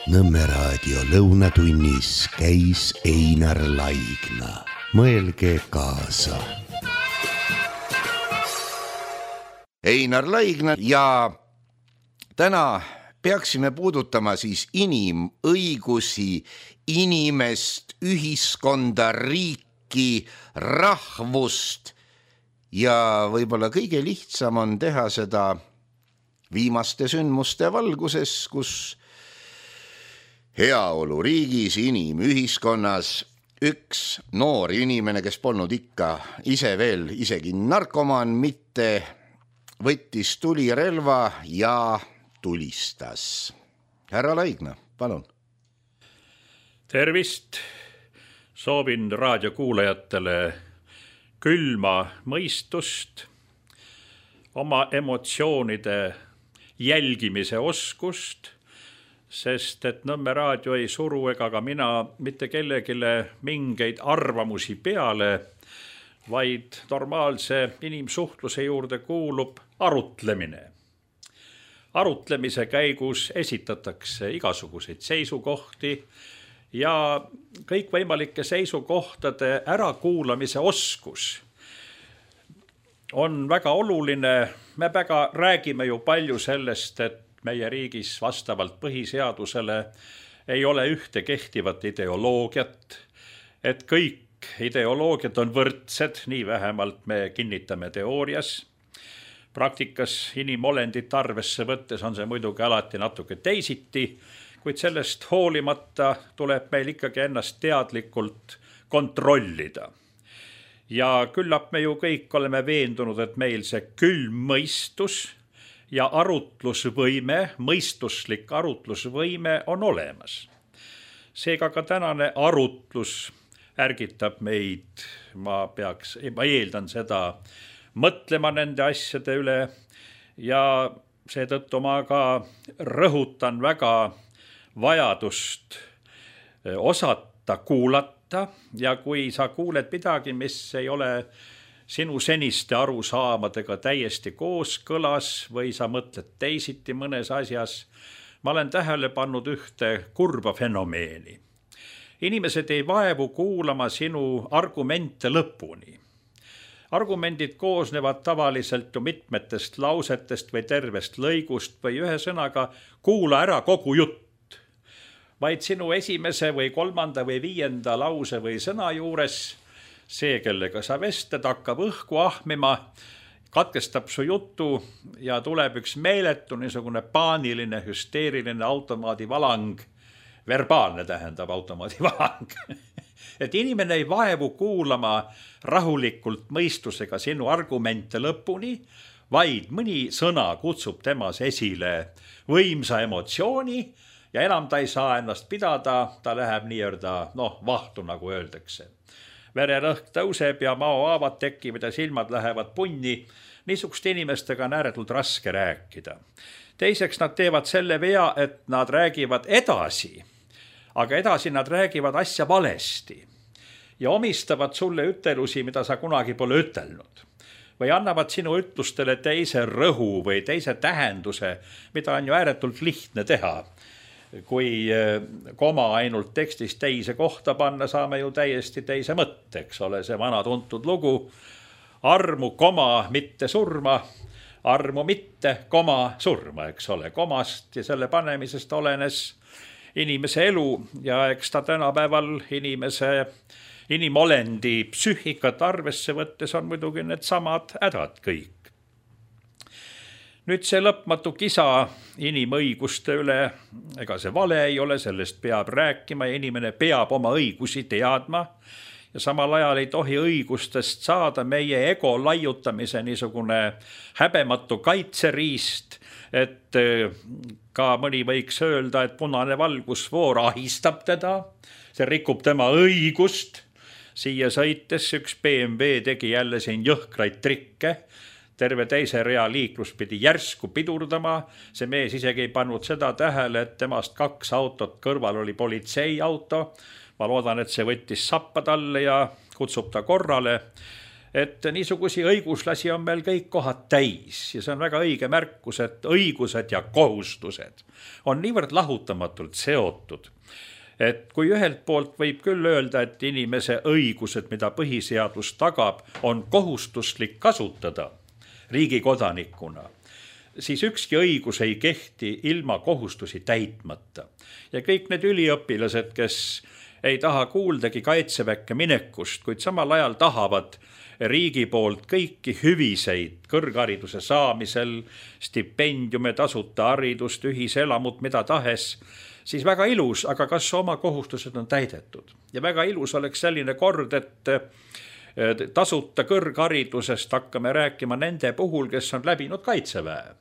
Nõmme raadio lõunatunnis käis Einar Laigna. Mõelge kaasa. Einar Laigna ja täna peaksime puudutama siis inimõigusi, inimest, ühiskonda, riiki, rahvust ja võib-olla kõige lihtsam on teha seda viimaste sündmuste valguses, kus heaolu riigis, inimühiskonnas üks noor inimene, kes polnud ikka ise veel isegi narkomaan, mitte võttis tulirelva ja tulistas. Härra Laigna, palun. Tervist! Soovin raadiokuulajatele külma mõistust, oma emotsioonide jälgimise oskust, sest et Nõmme raadio ei suru ega ka mina mitte kellegile mingeid arvamusi peale, vaid normaalse inimsuhtluse juurde kuulub arutlemine. Arutlemise käigus esitatakse igasuguseid seisukohti ja kõikvõimalike seisukohtade ärakuulamise oskus on väga oluline. Me väga räägime ju palju sellest, et meie riigis vastavalt põhiseadusele ei ole ühte kehtivat ideoloogiat, et kõik ideoloogiad on võrdsed, nii vähemalt me kinnitame teoorias. Praktikas inimolendit arvesse võttes on see muidugi alati natuke teisiti, kuid sellest hoolimata tuleb meil ikkagi ennast teadlikult kontrollida. Ja küllap me ju kõik oleme veendunud, et meil see külm mõistus ja arutlusvõime, mõistuslik arutlusvõime on olemas. Seega ka tänane arutlus ärgitab meid, ma eeldan seda, mõtlema nende asjade üle ja seetõttu ma ka rõhutan väga vajadust osata kuulata ja kui sa kuuled midagi, mis ei ole sinu seniste arusaamadega täiesti kooskõlas või sa mõtled teisiti mõnes asjas, ma olen tähele pannud ühte kurba fenomeeni. Inimesed ei vaevu kuulama sinu argumente lõpuni. Argumendid koosnevad tavaliselt ju mitmetest lausetest või tervest lõigust või ühe sõnaga kuula ära kogu jutt. Vaid sinu esimese või kolmanda või viienda lause või sõna juures see, kellega sa vestled, hakkab õhku ahmima, katkestab su jutu ja tuleb üks meeletu niisugune paaniline, hüsteeriline automaadivalang, verbaalne tähendab automaadivalang. Et inimene ei vaevu kuulama rahulikult mõistusega sinu argumente lõpuni, vaid mõni sõna kutsub temas esile võimsa emotsiooni ja enam ta ei saa ennast pidada, ta läheb nii-öelda vahtu, nagu öeldakse. Vererõhk tõuseb ja maohaavad tekivad ja silmad lähevad punni. Niisuguste inimestega on ääretult raske rääkida. Teiseks nad teevad selle vea, et nad räägivad edasi, aga edasi nad räägivad asja valesti ja omistavad sulle ütelusi, mida sa kunagi pole ütelnud. Või annavad sinu ütlustele teise rõhu või teise tähenduse, mida on ju ääretult lihtne teha. Kui koma ainult tekstis teise kohta panna, saame ju täiesti teise mõtte, eks ole, see vana tuntud lugu. Armu, koma, mitte surma, armu mitte, koma, surma, eks ole. Komast ja selle panemisest olenes inimese elu ja eks ta tänapäeval inimolendi psüühikat arvesse võttes on muidugi need samad hädad kõik. Nüüd see lõpmatu kisa inimõiguste üle, ega see vale ei ole, sellest peab rääkima ja inimene peab oma õigusi teadma ja samal ajal ei tohi õigustest saada meie ego laiutamise niisugune häbematu kaitseriist, et ka mõni võiks öelda, et punane valgusfoor ahistab teda, see rikub tema õigust. Siia sõites üks BMW tegi jälle siin jõhkraid trikke, terve teise rea liiklus pidi järsku pidurdama, see mees isegi ei pannud seda tähele, et temast 2 autot kõrval oli politseiauto. Ma loodan, et see võttis sappa talle ja kutsub ta korrale. et niisugusi õiguslasi on meil kõik kohad täis ja see on väga õige märkus, et õigused ja kohustused on niivõrd lahutamatult seotud, et kui ühelt poolt võib küll öelda, et inimese õigused, mida põhiseadus tagab, on kohustuslik kasutada riigi kodanikuna, siis ükski õigus ei kehti ilma kohustusi täitmata. Ja kõik need üliõpilased, kes ei taha kuuldagi kaitseväkke minekust, kuid samal ajal tahavad riigi poolt kõiki hüviseid kõrghariduse saamisel, stipendiume, tasuta haridust, ühiselamut, mida tahes, siis väga ilus, aga kas oma kohustused on täidetud? Ja väga ilus oleks selline kord, et tasuta kõrgharidusest hakkame rääkima nende puhul, kes on läbinud kaitseväe.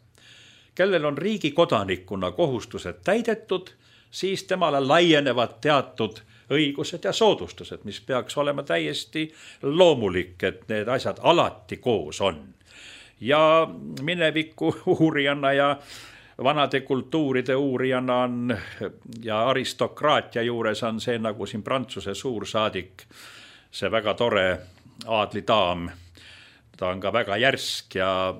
Kellel on riigi kodanikuna kohustused täidetud, siis temale laienevad teatud õigused ja soodustused, mis peaks olema täiesti loomulik, et need asjad alati koos on. Ja mineviku uurijana ja vanade kultuuride uurijana on ja aristokraatia juures on see nagu siin Prantsuse suursaadik, see väga tore aadlidaam. Ta on ka väga järsk ja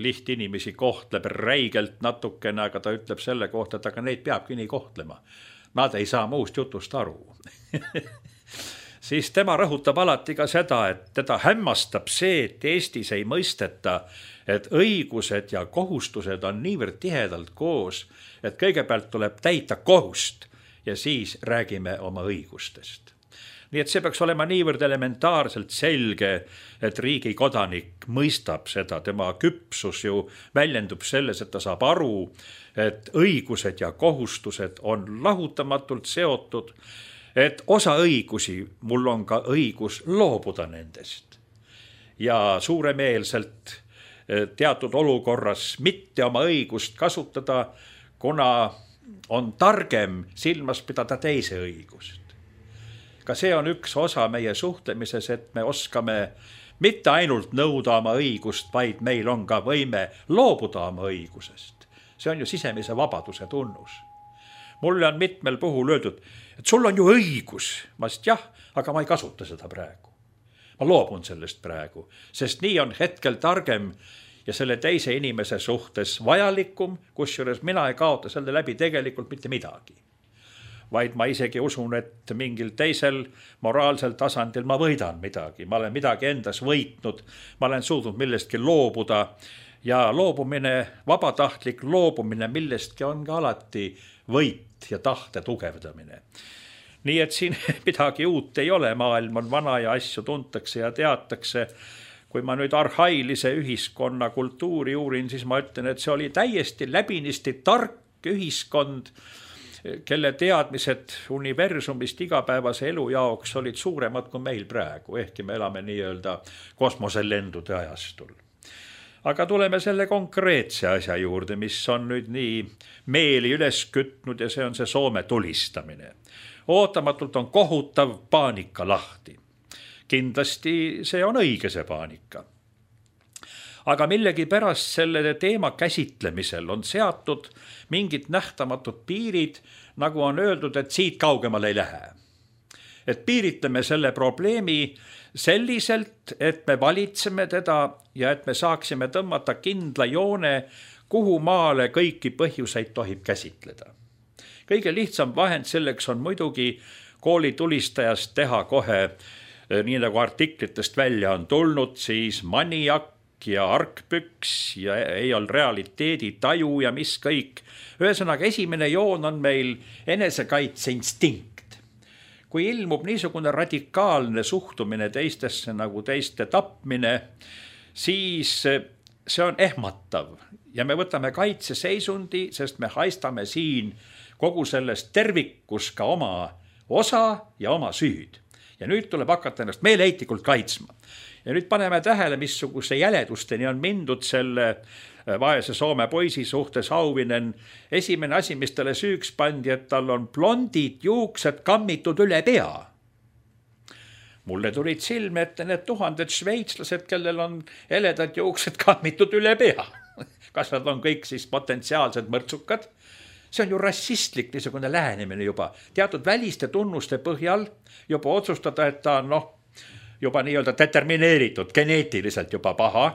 lihtinimesi kohtleb räigelt natukene, aga ta ütleb selle kohta, et aga neid peabki nii kohtlema. Nad ei saa muust jutust aru. Siis tema rõhutab alati ka seda, et teda hämmastab see, et Eestis ei mõisteta, et õigused ja kohustused on niivõrd tihedalt koos, et kõigepealt tuleb täita kohust ja siis räägime oma õigustest. Nii et see peaks olema niivõrd elementaarselt selge, et riigi kodanik mõistab seda, tema küpsus ju väljendub selles, et ta saab aru, et õigused ja kohustused on lahutamatult seotud, et osa õigusi mul on ka õigus loobuda nendest ja suuremeelselt teatud olukorras mitte oma õigust kasutada, kuna on targem silmas pidada teise õigust. Ka see on üks osa meie suhtlemises, et me oskame mitte ainult nõuda oma õigust, vaid meil on ka võime loobuda oma õigusest. See on ju sisemise vabaduse tunnus. Mulle on mitmel puhul öeldud, et sul on ju õigus. Ma sest jah, aga ma ei kasuta seda praegu. Ma loobun sellest praegu, sest nii on hetkel targem ja selle teise inimese suhtes vajalikum, kusjuures mina ei kaota selle läbi tegelikult mitte midagi. Vaid ma isegi usun, et mingil teisel moraalsel tasandil ma võidan midagi. Ma olen midagi endas võitnud, ma olen suutnud millestki loobuda ja loobumine, vabatahtlik loobumine millestki on ka alati võit ja tahte tugevdamine. Nii et siin midagi uut ei ole, maailm on vana ja asju tuntakse ja teatakse. Kui ma nüüd arhailise ühiskonna kultuuri uurin, siis ma ütlen, et see oli täiesti läbinisti tark ühiskond, kelle teadmised universumist igapäevase elu jaoks olid suuremad kui meil praegu, ehkki me elame nii-öelda kosmoselendude ajastul. Aga tuleme selle konkreetse asja juurde, mis on nüüd nii meeli üles kütnud ja see on see Soome tulistamine. Ootamatult on kohutav paanika lahti. Kindlasti see on õige see paanika. Aga millegi pärast selle teema käsitlemisel on seatud mingid nähtamatud piirid, nagu on öeldud, et siit kaugemale ei lähe. Et piiritleme selle probleemi selliselt, et me valitseme teda ja et me saaksime tõmmata kindla joone, kuhu maale kõiki põhjuseid tohib käsitleda. Kõige lihtsam vahend selleks on muidugi koolitulistajast teha kohe, nii nagu artiklitest välja on tulnud, siis maniak ja argpüks ja ei ole realiteedi taju ja mis kõik. Ühesõnaga, esimene joon on meil enesekaitseinstinkt. Kui ilmub niisugune radikaalne suhtumine teistesse nagu teiste tapmine, siis see on ehmatav ja me võtame kaitseseisundi, sest me haistame siin kogu sellest tervikus ka oma osa ja oma süüd. Ja nüüd tuleb hakata ennast meeleheitlikult kaitsma. Ja nüüd paneme tähele, missuguse jäledusteni on mindud selle vaese Soome poisi suhtes Auvinen. Esimene asi, mis talle süüks pandi, et tal on blondid juuksed kammitud üle pea. Mulle tulid silme ette need tuhanded šveitslased, kellel on heledad juuksed kammitud üle pea. Kas nad on kõik siis potentsiaalsed mõrtsukad? See on ju rassistlik niisugune lähenemine juba. Teatud väliste tunnuste põhjal juba otsustada, et ta on juba nii-öelda determineeritud, geneetiliselt juba paha.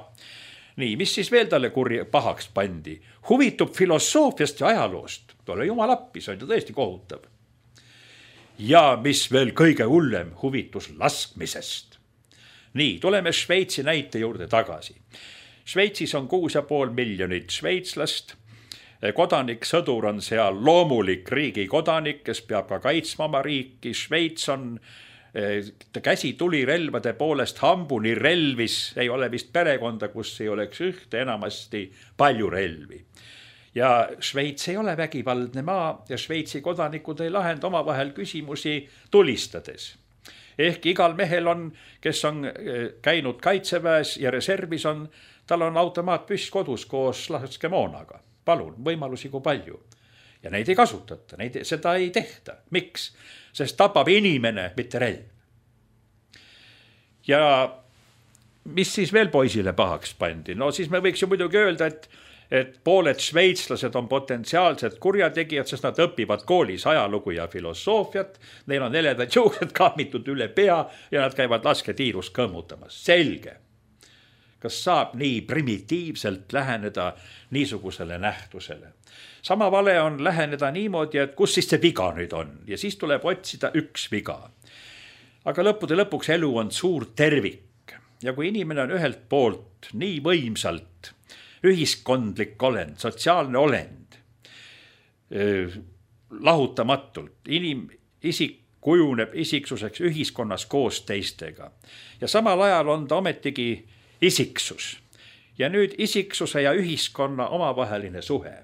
Nii, mis siis veel talle pahaks pandi? Huvitub filosoofiast ja ajaloost. Tule jumal appi, see on ju tõesti kohutav. Ja mis veel kõige hullem, huvitus laskmisest. Nii, tuleme Šveitsi näite juurde tagasi. Šveitsis on 6,5 miljonit šveitslast. Kodanik, sõdur on seal loomulik riigi kodanik, kes peab ka kaitsma oma riiki. Šveits on käsi tulirelvade poolest hambuni relvis, ei ole vist perekonda, kus ei oleks ühte, enamasti palju relvi. Ja Šveits ei ole vägivaldne maa ja Šveitsi kodanikud ei lahenda omavahel küsimusi tulistades. Ehk igal mehel on, kes on käinud kaitseväes ja reservis on, tal on automaatpüss kodus koos laskemoonaga. Palun, võimalusi kui palju. Ja neid ei kasutata, seda ei tehta. Miks? Sest tapab inimene, mitte relv. Ja mis siis veel poisile pahaks pandi? No siis me võiks ju muidugi öelda, et pooled šveitslased on potentsiaalsed kurjategijad, sest nad õpivad koolis ajalugu ja filosoofiat. Neil on heledad juuksed kaamitud üle pea ja nad käivad lasketiirus kõmmutamas. Selge. Kas saab nii primitiivselt läheneda niisugusele nähtusele? Sama vale on läheneda niimoodi, et kus siis see viga nüüd on? Ja siis tuleb otsida üks viga. Aga lõppude lõpuks elu on suur tervik. Ja kui inimene on ühelt poolt nii võimsalt ühiskondlik olend, sotsiaalne olend, lahutamatult, isik kujuneb isiksuseks ühiskonnas koos teistega. Ja samal ajal on ta ometigi isiksus. Ja nüüd isiksuse ja ühiskonna omavaheline suhe.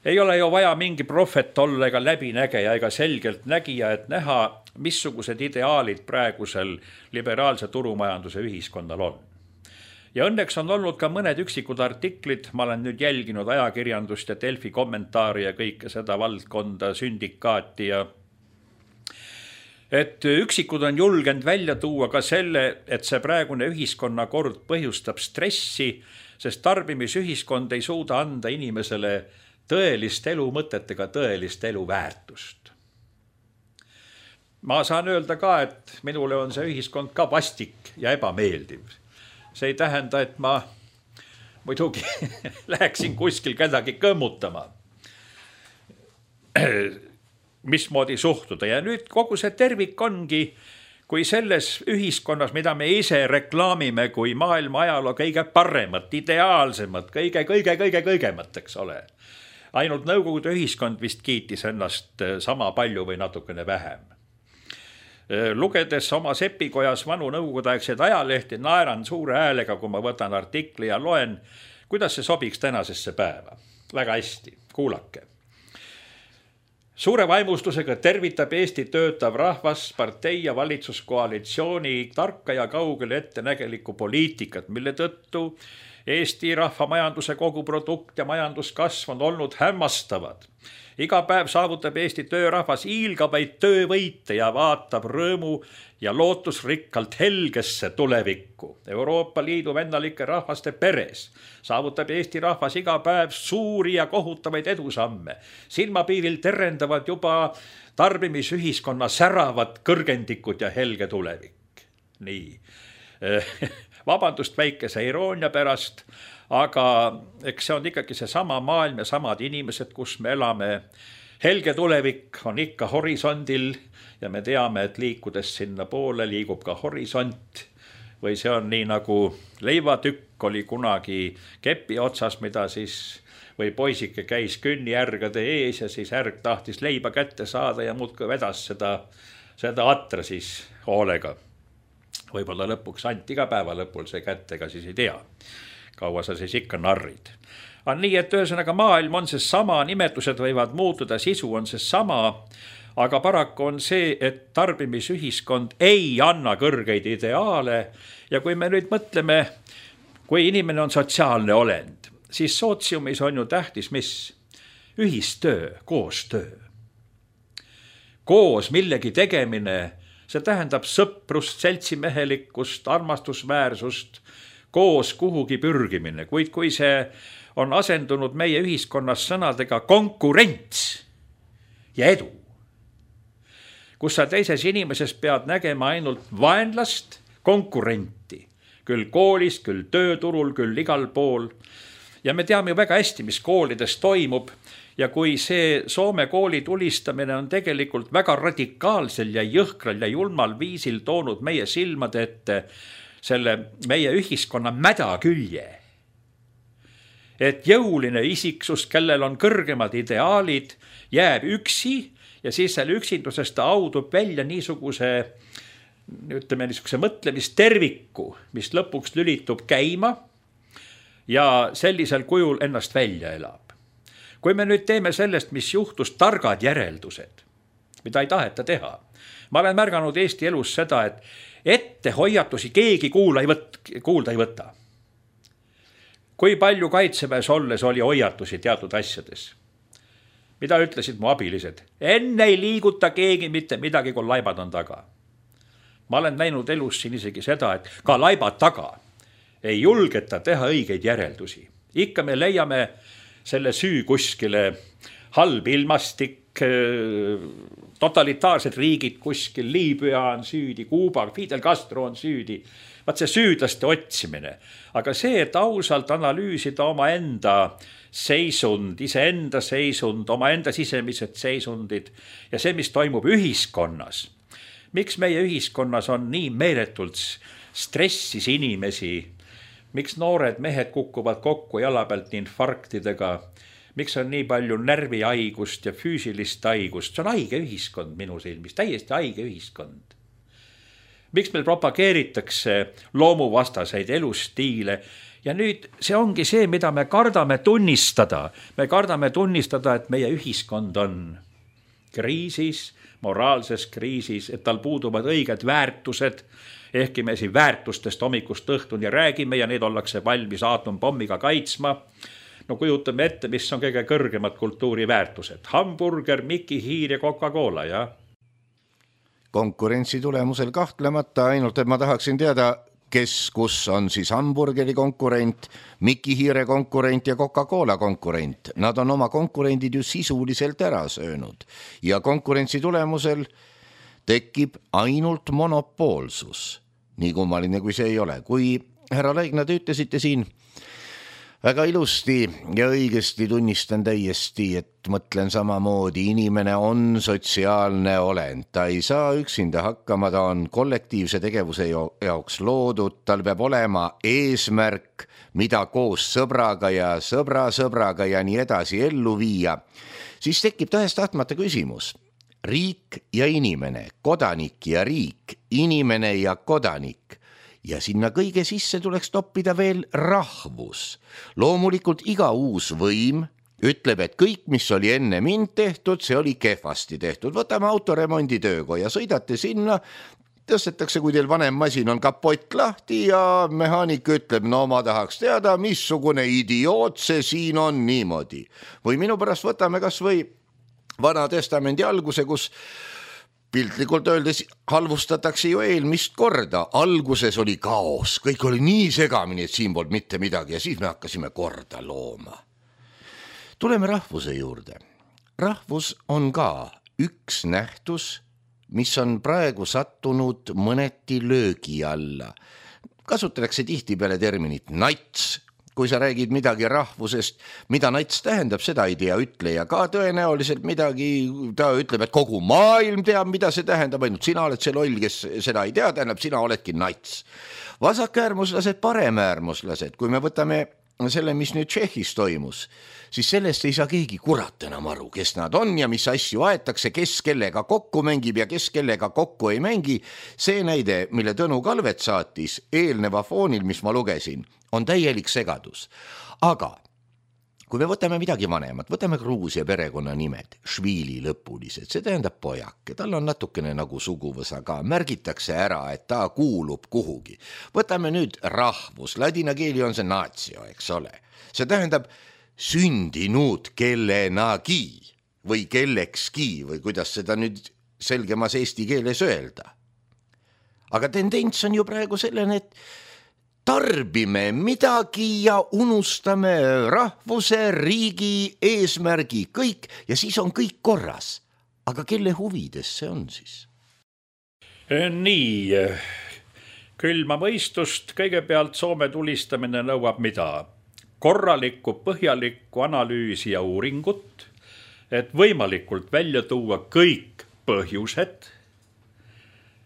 Ei ole ju vaja mingi prohvet olla ega läbinägeja ega selgelt nägija, et näha, missugused ideaalid praegusel liberaalse turumajanduse ühiskonnal on. Ja õnneks on olnud ka mõned üksikud artiklid, ma olen nüüd jälginud ajakirjandust ja Delfi kommentaari ja kõike seda valdkonda, sündikaati ja et üksikud on julgenud välja tuua ka selle, et see praegune ühiskonnakord põhjustab stressi, sest tarbimisühiskond ei suuda anda inimesele tõelist elu mõtet ega tõelist elu väärtust. Ma saan öelda ka, et minule on see ühiskond ka vastik ja ebameeldiv. See ei tähenda, et ma muidugi läheksin kuskil kedagi kõmmutama. Mismoodi suhtuda. Ja nüüd kogu see tervik ongi, kui selles ühiskonnas, mida me ise reklaamime kui maailma ajaloo kõige paremat, ideaalsemat, kõigemat, eks ole. Ainult Nõukogude ühiskond vist kiitis ennast sama palju või natukene vähem. Lugedes oma sepikojas vanu nõukogudeaegseid ajalehti, naeran suure häälega, kui ma võtan artikli ja loen, kuidas see sobiks tänasesse päeva. Väga hästi, kuulake. Suure vaimustusega tervitab Eesti töötav rahvas partei ja valitsuskoalitsiooni tarka ja kaugele ettenägelikku poliitikat, mille tõttu Eesti rahvamajanduse koguprodukt ja majanduskasv on olnud hämmastavad. Iga päev saavutab Eesti töörahvas hiilgavaid töövõite ja vaatab rõõmu ja lootusrikkalt helgesse tulevikku. Euroopa Liidu vennalike rahvaste peres saavutab Eesti rahvas iga päev suuri ja kohutavaid edusamme. Silmapiiril terendavad juba tarbimisühiskonna säravad kõrgendikud ja helge tulevik. Nii. Vabandust väikese iroonia pärast, aga eks see on ikkagi see sama maailm ja samad inimesed, kus me elame. Helge tulevik on ikka horisondil ja me teame, et liikudes sinna poole liigub ka horisont. Või see on nii nagu leivatükk oli kunagi kepi otsas, mida siis või poisike käis künnijärgade ees ja siis ärg tahtis leiba kätte saada ja muudkui vedas seda atra siis hoolega. Võib-olla lõpuks anti ka päeva lõpul see kätte, ega siis ei tea. Kaua sa siis ikka narrid. On nii, et ühesõnaga maailm on see sama, nimetused võivad muutuda, sisu on see sama, aga paraku on see, et tarbimisühiskond ei anna kõrgeid ideaale ja kui me nüüd mõtleme, kui inimene on sotsiaalne olend, siis sootsiumis on ju tähtis, mis? Ühistöö, koostöö. Koos millegi tegemine, see tähendab sõprust, seltsimehelikkust, armastusväärsust, koos kuhugi pürgimine, kuid kui see on asendunud meie ühiskonnas sõnadega konkurents ja edu. kus sa teises inimeses pead nägema ainult vaenlast, konkurenti, küll koolis, küll tööturul, küll igal pool. Ja me teame ju väga hästi, mis koolides toimub ja kui see Soome kooli tulistamine on tegelikult väga radikaalsel ja jõhkral ja julmal viisil toonud meie silmade ette selle meie ühiskonna mäda külje. Et jõuline isiksus, kellel on kõrgemad ideaalid, jääb üksi ja siis selle üksindusest ta audub välja niisuguse mõtlemisterviku, mis lõpuks lülitub käima ja sellisel kujul ennast välja elab. Kui me nüüd teeme sellest, mis juhtus, targad järeldused, mida ei taheta teha. Ma olen märganud Eesti elus seda, et ette hoiatusi keegi kuulda ei võta. Kui palju kaitseväes olles oli hoiatusi teatud asjades? Mida ütlesid mu abilised? Enne ei liiguta keegi mitte midagi, kui laibad on taga. Ma olen näinud elus siin isegi seda, et ka laibad taga ei julgeta teha õigeid järeldusi. Ikka me leiame selle süü kuskile halb ilmastik, totalitaarsed riigid kuskil, Liibüa on süüdi, Kuuba, Fidel Castro on süüdi. Vaat see süüdlaste otsimine. Aga see, et ausalt analüüsida oma enda seisund, iseenda seisund, oma enda sisemised seisundid ja see, mis toimub ühiskonnas. Miks meie ühiskonnas on nii meeletult stressis inimesi? Miks noored mehed kukuvad kokku jala pealt infarktidega? Miks on nii palju närvihaigust ja füüsilist haigust? See on haige ühiskond minu silmis, täiesti haige ühiskond. Miks meil propageeritakse loomuvastaseid elustiile? Ja nüüd see ongi see, mida me kardame tunnistada. Me kardame tunnistada, et meie ühiskond on kriisis, moraalses kriisis, et tal puuduvad õiged väärtused, ehkki me siin väärtustest hommikust õhtuni räägime ja need ollakse valmis aatompommiga kaitsma. No kujutame ette, mis on kõige kõrgemad kultuuriväärtused. Hamburger, Mickey Hiir ja Coca-Cola, jah? Konkurentsi tulemusel kahtlemata, ainult et ma tahaksin teada, kus on siis hamburgeri konkurent, Mickey Hiire konkurent ja Coca-Cola konkurent. Nad on oma konkurendid ju sisuliselt ära söönud ja konkurentsi tulemusel tekib ainult monopoolsus. Nii kummaline kui see ei ole. Kui härra Laigna, te ütlesite siin väga ilusti ja õigesti, tunnistan täiesti, et mõtlen samamoodi, inimene on sotsiaalne olend, ta ei saa üksinda hakkama, ta on kollektiivse tegevuse jaoks loodud, tal peab olema eesmärk, mida koos sõbraga ja sõbraga ja nii edasi ellu viia, siis tekib tahes-tahtmata küsimus. Riik ja inimene, kodanik ja riik, inimene ja kodanik. Ja sinna kõige sisse tuleks toppida veel rahvus. Loomulikult iga uus võim ütleb, et kõik, mis oli enne mind tehtud, see oli kehvasti tehtud. Võtame autoremondi töökoja, sõidate sinna, tõstetakse, kui teil vanem masin on kapott lahti ja mehaanik ütleb, no ma tahaks teada, missugune idioot see siin on niimoodi. Või minu pärast võtame kas või Vana Testamendi alguse, kus piltlikult öeldes halvustatakse ju eelmist korda. Alguses oli kaos, kõik oli nii segamini, et siin polnud mitte midagi ja siis me hakkasime korda looma. Tuleme rahvuse juurde. Rahvus on ka üks nähtus, mis on praegu sattunud mõneti löögi alla. Kasutatakse tihtipeale terminit nats. Kui sa räägid midagi rahvusest, mida nats tähendab, seda ei tea ütleja ka tõenäoliselt midagi. Ta ütleb, et kogu maailm teab, mida see tähendab, ainult sina oled see loll, kes seda ei tea, tähendab, sina oledki nats. Vasakäärmuslased, paremäärmuslased, kui me võtame selle, mis nüüd Tšehhis toimus, siis sellest ei saa keegi kurat enam aru, kes nad on ja mis asju aetakse, kes kellega kokku mängib ja kes kellega kokku ei mängi. See näide, mille Tõnu Kalvet saatis eelneva foonil, mis ma lugesin, on täielik segadus. Aga kui me võtame midagi vanemat, võtame Gruusia perekonna nimed, Švili lõpulised, see tähendab pojake, tal on natukene nagu suguvõsa ka, märgitakse ära, et ta kuulub kuhugi. Võtame nüüd rahvus, ladina keeli on see natsio, eks ole. See tähendab sündinud kellenagi või kellekski või kuidas seda nüüd selgemas eesti keeles öelda. Aga tendents on ju praegu sellene, et tarbime midagi ja unustame rahvuse, riigi, eesmärgi, kõik ja siis on kõik korras. Aga kelle huvides see on siis? Nii, külma mõistust kõigepealt Soome tulistamine nõuab mida? Korralikku, põhjalikku analüüsi ja uuringut, et võimalikult välja tuua kõik põhjused.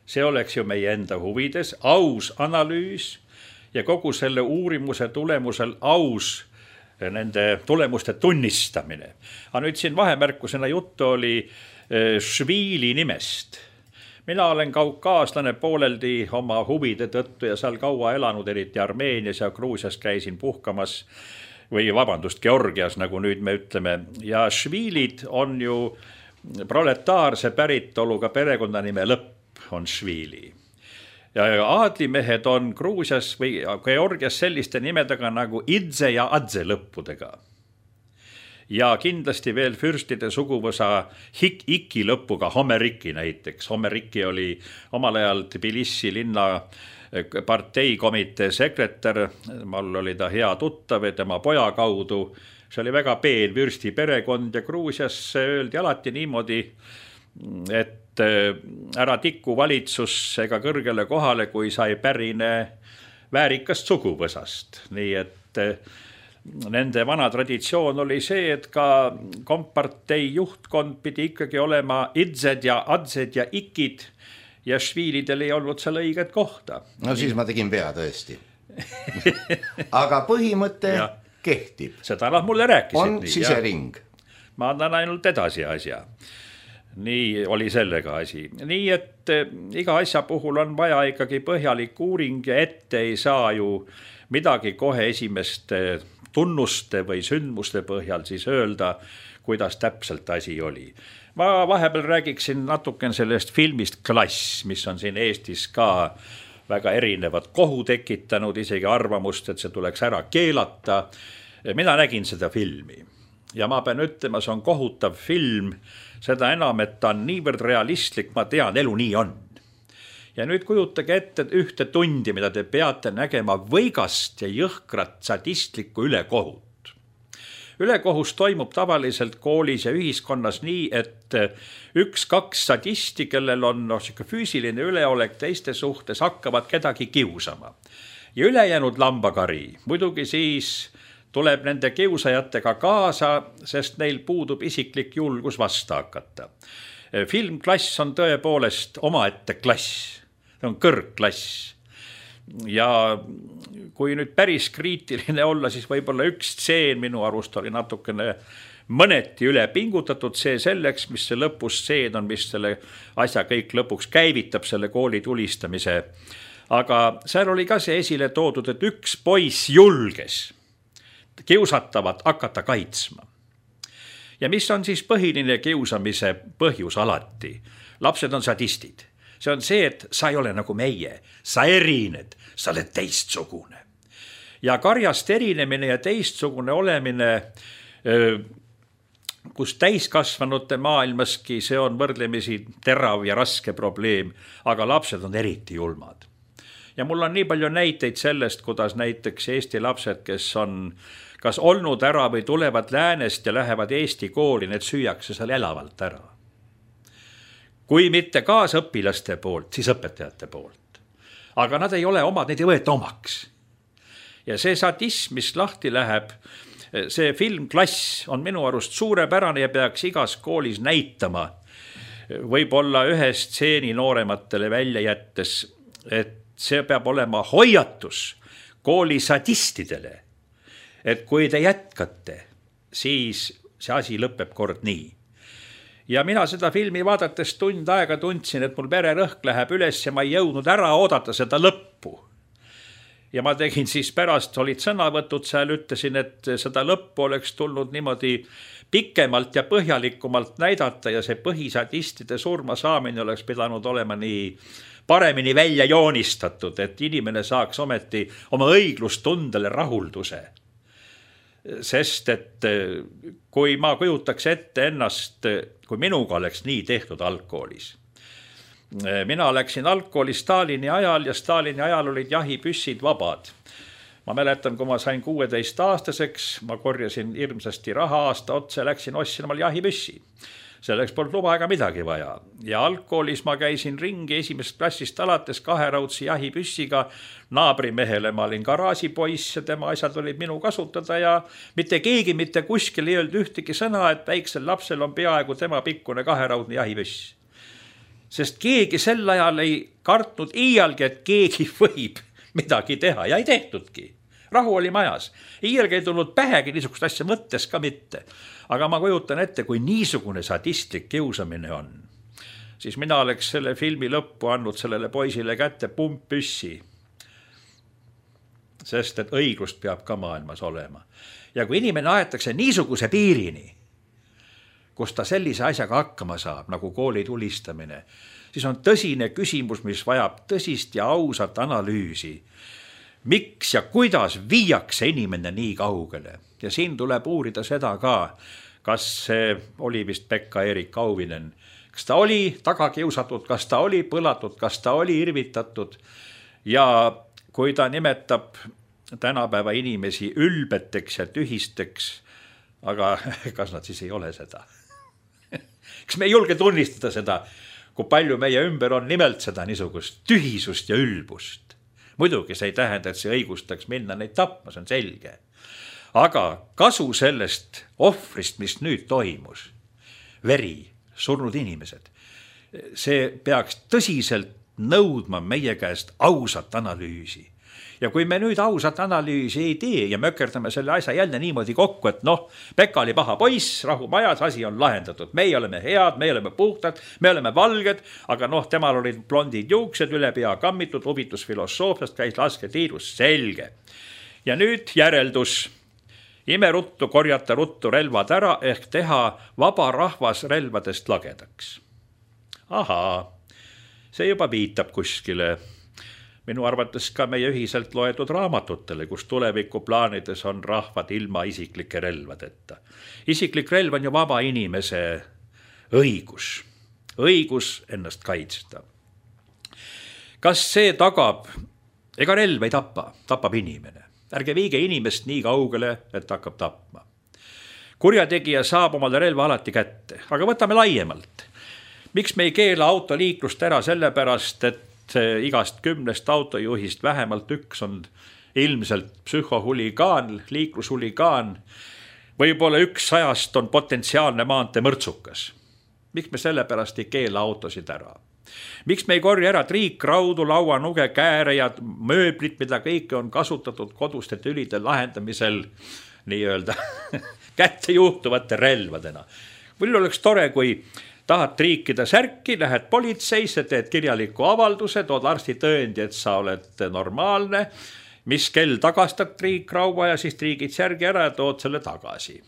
See oleks ju meie enda huvides, aus analüüs ja kogu selle uurimuse tulemusel aus nende tulemuste tunnistamine. Aga nüüd siin vahemärkusena juttu oli Šviili nimest. Mina olen kaukaaslane pooleldi oma huvide tõttu ja seal kaua elanud, eriti Armeenias ja Gruusias käisin puhkamas või Georgias, nagu nüüd me ütleme. Ja Šviilid on ju proletaarse päritoluga perekonnanime lõpp on Šviili. Ja aadlimehed on Gruusias või Georgias selliste nimedega nagu Idze ja Adze lõppudega. Ja kindlasti veel fürstide suguvõsa Iki lõpuga, Homeriki näiteks. Homeriki oli omal ajal Tbilisi linna parteikomitee sekretär, mul oli ta hea tuttav ja tema poja kaudu. See oli väga peen fürsti perekond ja Gruusias öeldi alati niimoodi, et ära tiku valitsus ega kõrgele kohale, kui sai pärine väärikast suguvõsast. Nii et nende vana traditsioon oli see, et ka kompartei juhtkond pidi ikkagi olema Idzed ja Adzed ja Ikid ja Šviilidel ei olnud seal õiget kohta. No siis ma tegin vea tõesti. Aga põhimõte kehtib. Seda nad mulle rääkisid. On sisering. Ma annan ainult edasi asja. Nii oli sellega asi. Nii, et iga asja puhul on vaja ikkagi põhjalik uuring ja ette ei saa ju midagi kohe esimeste tunnuste või sündmuste põhjal siis öelda, kuidas täpselt asi oli. Ma vahepeal räägiksin natuken sellest filmist Klass, mis on siin Eestis ka väga erinevad kohu tekitanud, isegi arvamust, et see tuleks ära keelata. Mina nägin seda filmi ja ma pean ütlema, see on kohutav film, seda enam, et ta on niivõrd realistlik, ma tean, elu nii on. Ja nüüd kujutage ette ühte tundi, mida te peate nägema võigast ja jõhkrat sadistlikku ülekohut. Ülekohus toimub tavaliselt koolis ja ühiskonnas nii, et 1-2 sadisti, kellel on füüsiline üleolek teiste suhtes, hakkavad kedagi kiusama. Ja ülejäänud lambakari, muidugi siis tuleb nende kiusajatega kaasa, sest neil puudub isiklik julgus vasta hakata. Film Klass on tõepoolest omaette klass. See on kõrgklass. Ja kui nüüd päris kriitiline olla, siis võib-olla üks stseen minu arust oli natukene mõneti üle pingutatud, see selleks, mis see lõpustseen on, mis selle asja kõik lõpuks käivitab, selle kooli tulistamise. Aga seal oli ka see esile toodud, et üks poiss julges kiusatavat hakata kaitsma. Ja mis on siis põhiline kiusamise põhjus alati? Lapsed on sadistid. See on see, et sa ei ole nagu meie, sa erined, sa oled teistsugune. Ja karjast erinemine ja teistsugune olemine, kus täiskasvanute maailmaski, see on võrdlemisi terav ja raske probleem, aga lapsed on eriti julmad. Ja mul on nii palju näiteid sellest, kuidas näiteks Eesti lapsed, kes on kas olnud ära või tulevad läänest ja lähevad Eesti kooli, need süüakse seal elavalt ära. Kui mitte kaasõpilaste poolt, siis õpetajate poolt. Aga nad ei ole omad, neid ei võeta omaks. Ja see sadism, mis lahti läheb, see film Klass on minu arust suurepärane ja peaks igas koolis näitama. Võib-olla ühe stseeni noorematele välja jättes, et see peab olema hoiatus kooli sadistidele, et kui te jätkate, siis see asi lõpeb kord nii. Ja mina seda filmi vaadates tund aega tundsin, et mul vererõhk läheb üles ja ma ei jõudnud ära oodata seda lõppu. Ja ma tegin siis pärast, olid sõnavõtud seal, ütlesin, et seda lõppu oleks tulnud niimoodi pikemalt ja põhjalikumalt näidata ja see põhisadistide surma saamine oleks pidanud olema nii paremini välja joonistatud, et inimene saaks ometi oma õiglustundele rahulduse. Sest et kui ma kujutaks ette ennast, kui minuga oleks nii tehtud algkoolis. Mina läksin algkooli Stalini ajal ja Stalini ajal olid jahipüssid vabad. Ma mäletan, kui ma sain 16-aastaseks, ma korjasin hirmsasti raha aasta otsa ja läksin ostsin omal jahipüssi. selleks polnud luba ega midagi vaja. Ja algkoolis ma käisin ringi esimesest klassist alates 2-raudse jahipüssiga naabrimehele. Ma olin garaažipoiss ja tema asjad olid minu kasutada ja mitte keegi mitte kuskil ei öelnud ühtegi sõna, et väiksel lapsel on peaaegu tema pikkune 2-raudne jahipüss. Sest keegi sel ajal ei kartnud iialgi, et keegi võib midagi teha ja ei tehtudki. Rahu oli majas. Iialgi ei tulnud pähegi niisugust asja mõttes ka mitte. Aga ma kujutan ette, kui niisugune sadistlik kiusamine on, siis mina oleks selle filmi lõppu andnud sellele poisile kätte pumppüssi. Sest et õiglust peab ka maailmas olema. Ja kui inimene aetakse niisuguse piirini, kus ta sellise asjaga hakkama saab, nagu kooli tulistamine, siis on tõsine küsimus, mis vajab tõsist ja ausat analüüsi. Miks ja kuidas viiakse inimene nii kaugele? Ja siin tuleb uurida seda ka, kas see oli vist Pekka-Erik Auvinen. Kas ta oli tagakiusatud, kas ta oli põlatud, kas ta oli irvitatud. Ja kui ta nimetab tänapäeva inimesi ülbeteks ja tühisteks, aga kas nad siis ei ole seda? Kas me ei julge tunnistada seda, kui palju meie ümber on nimelt seda niisugust tühisust ja ülbust? Muidugi see ei tähenda, et see õigustaks minna neid tapma, see on selge. Aga kasu sellest ohvrist, mis nüüd toimus, veri, surnud inimesed, see peaks tõsiselt nõudma meie käest ausat analüüsi. Ja kui me nüüd ausat analüüsi ei tee ja mökerdame selle asja jälle niimoodi kokku, et Pekka oli paha poiss, rahu majas, asi on lahendatud. Meie oleme head, me oleme puhtad, me oleme valged, aga temal olid blondid juuksed, üle pea kammitud, huvitus filosoofiast, käis lasketiirus, selge. Ja nüüd järeldus. Imeruttu korjata ruttu relvad ära ehk teha vaba rahvas relvadest lagedaks. Ahaa, see juba viitab kuskile. Minu arvates ka meie ühiselt loetud raamatutele, kus tulevikuplaanides on rahvad ilma isiklike relvadeta. Isiklik relv on ju vaba inimese õigus. Õigus ennast kaitsta. Kas see tagab? Ega relv ei tapa, tapab inimene. Ärge viige inimest nii kaugele, et hakkab tapma. Kurjategija saab omale relva alati kätte, aga võtame laiemalt. Miks me ei keela autoliiklust ära sellepärast, et igast 10 autojuhist vähemalt üks on ilmselt psühhohuligaan, liiklushuligaan, võib-olla 100 on potentsiaalne maantee mõrtsukas. Miks me sellepärast ei keela autosid ära? Miks me ei korja ära triikraudu, lauanuge, kääre ja mööblit, mida kõike on kasutatud koduste tülide lahendamisel nii-öelda kätte juhtuvate relvadena? Või oleks tore, kui tahad triikida särki, lähed politseisse, teed kirjaliku avalduse, tood arsti tõendi, et sa oled normaalne, mis kell tagastad triikraua ja siis triigid särgi ära ja tood selle tagasi.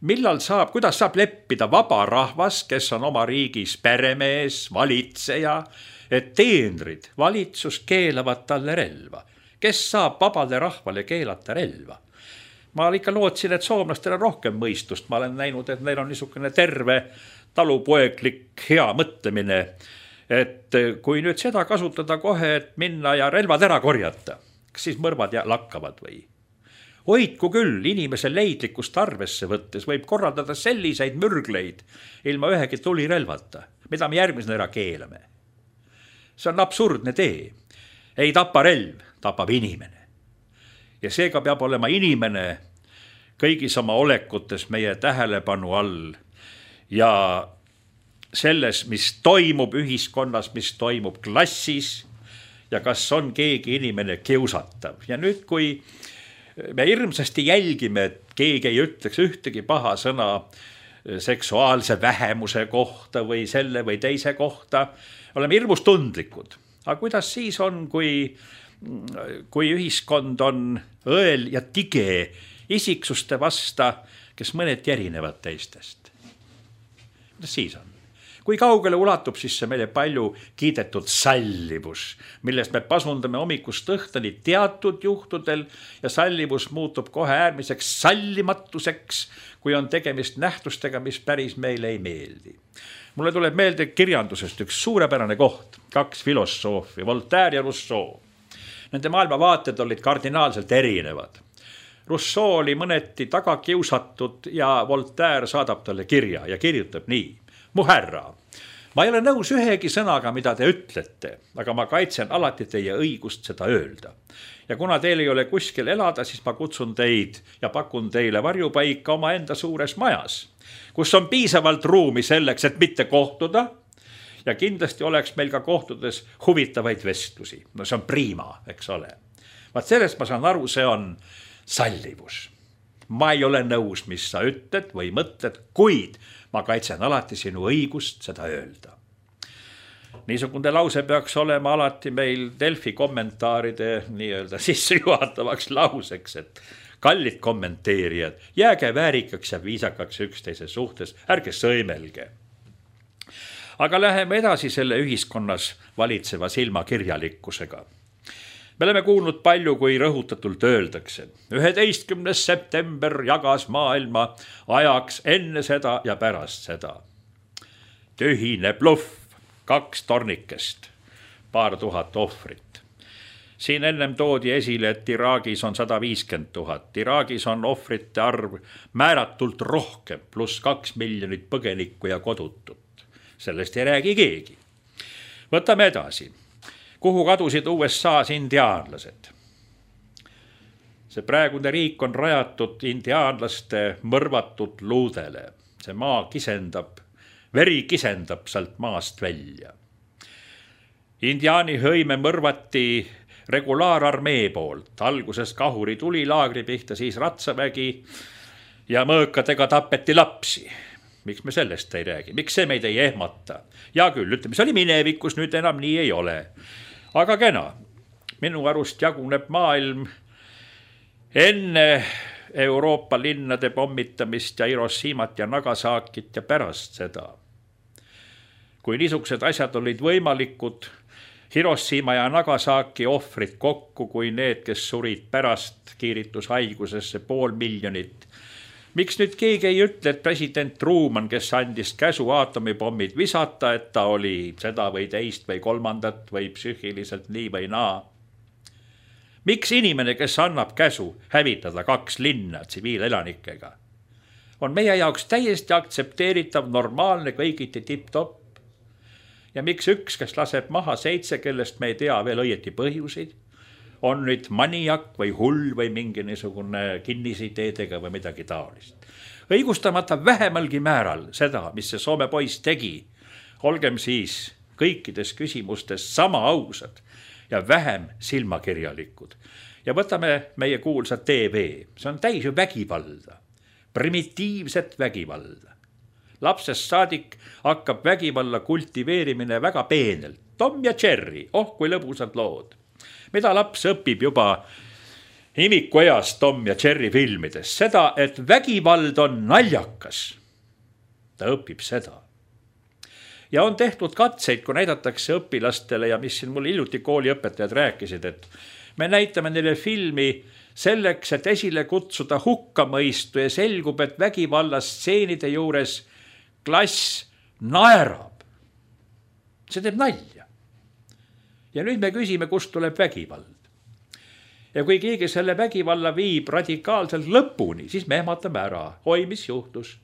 Kuidas saab leppida vaba rahvas, kes on oma riigis peremees, valitseja, et teenrid, valitsus keelavad talle relva? Kes saab vabale rahvale keelata relva? Ma ikka lootsin, et soomlastel on rohkem mõistust. Ma olen näinud, et neil on niisugune terve talupoeglik hea mõtlemine, et kui nüüd seda kasutada kohe, et minna ja relvad ära korjata, kas siis mõrvad lakkavad või? Hoidku küll, inimese leidlikkust arvesse võttes võib korraldada selliseid mürgleid ilma ühegi tulirelvata, mida me järgmisena ära keelame. See on absurdne tee. Ei tapa relv, tapab inimene. Ja seega peab olema inimene kõigis oma olekutes meie tähelepanu all ja selles, mis toimub ühiskonnas, mis toimub klassis ja kas on keegi inimene kiusatav. Ja nüüd, kui me hirmsasti jälgime, et keegi ei ütleks ühtegi paha sõna seksuaalse vähemuse kohta või selle või teise kohta, oleme hirmus tundlikud. Aga kuidas siis on, kui ühiskond on õel ja tige isiksuste vasta, kes mõneti erinevad teistest? Kuidas siis on? Kui kaugele ulatub siis see meile palju kiidetud sallivus, millest me pasundame hommikust õhtani teatud juhtudel ja sallivus muutub kohe äärmiseks sallimatuseks, kui on tegemist nähtustega, mis päris meile ei meeldi. Mulle tuleb meelde kirjandusest üks suurepärane koht, 2 filosoofi, Voltaire ja Rousseau. Nende maailmavaated olid kardinaalselt erinevad. Rousseau oli mõneti taga kiusatud ja Voltaire saadab talle kirja ja kirjutab nii. Mu härra, ma ei ole nõus ühegi sõnaga, mida te ütlete, aga ma kaitsen alati teie õigust seda öelda. Ja kuna teil ei ole kuskil elada, siis ma kutsun teid ja pakun teile varjupaika oma enda suures majas, kus on piisavalt ruumi selleks, et mitte kohtuda. Ja kindlasti oleks meil ka kohtudes huvitavaid vestlusi. No see on prima, eks ole. Vaat sellest ma saan aru, see on sallivus. Ma ei ole nõus, mis sa ütled või mõtled, kuid ma kaitsen alati sinu õigust seda öelda. Niisugune lause peaks olema alati meil Delfi kommentaaride nii-öelda sissejuhatavaks lauseks, et kallid kommenteerijad, jääge väärikaks ja viisakaks üksteise suhtes, ärge sõimelge. Aga läheme edasi selle ühiskonnas valitseva silmakirjalikkusega. Me oleme kuulnud palju, kui rõhutatult öeldakse. 11. september jagas maailma ajaks enne seda ja pärast seda. Tühine bluff, 2 tornikest, paar tuhat ohvrit. Siin ennem toodi esile, et Iraagis on 150 000. Iraagis on ohvrite arv määratult rohkem, pluss 2 miljonit põgenikku ja kodutut. Sellest ei räägi keegi. Võtame edasi. Kuhu kadusid USA's indiaanlased? See praegune riik on rajatud indiaanlaste mõrvatud luudele. See maa kisendab, veri kisendab sealt maast välja. Indiaani hõime mõrvati regulaararmee poolt. Alguses kahuri tuli laagri pihta, siis ratsavägi ja mõõkadega tapeti lapsi. Miks me sellest ei räägi? Miks see meid ei ehmata? Ja küll, ütleme, see oli minevikus, nüüd enam nii ei ole. Aga kena, minu arust jaguneb maailm enne Euroopa linnade pommitamist ja Hiroshimat ja Nagasakit ja pärast seda. Kui niisugused asjad olid võimalikud, Hiroshima ja Nagasaki ohvrid kokku kui need, kes surid pärast kiiritushaigusesse 500 000. Miks nüüd keegi ei ütle, et president Truman, kes andis käsu aatomipommid visata, et ta oli seda või teist või kolmandat või psüühiliselt nii või naa? Miks inimene, kes annab käsu hävitada 2 linna tsiviilelanikega, on meie jaoks täiesti aktsepteeritav, normaalne, kõigiti tipp-topp? Ja miks üks, kes laseb maha 7, kellest me ei tea veel õieti põhjusid, on nüüd maniak või hull või mingi niisugune kinnisideedega või midagi taolist. Õigustamata vähemalgi määral seda, mis see Soome poiss tegi, olgem siis kõikides küsimustes sama ausad ja vähem silmakirjalikud. Ja võtame meie kuulsa TV. See on täis ju vägivalda, primitiivset vägivalda. Lapsest saadik hakkab vägivalla kultiveerimine väga peenelt. Tom ja Jerry, kui lõbusad lood. Mida laps õpib juba imikueas Tom ja Jerry filmides? Seda, et vägivald on naljakas. Ta õpib seda. Ja on tehtud katseid, kui näidatakse õpilastele ja mis siin mul hiljuti kooliõpetajad rääkisid, et me näitame neile filmi selleks, et esile kutsuda hukkamõistu ja selgub, et vägivallastseenide juures klass naerab. See teeb nalja. Ja nüüd me küsime, kust tuleb vägivald. Ja kui keegi selle vägivalla viib radikaalselt lõpuni, siis me ehmatame ära. Oi, mis juhtus?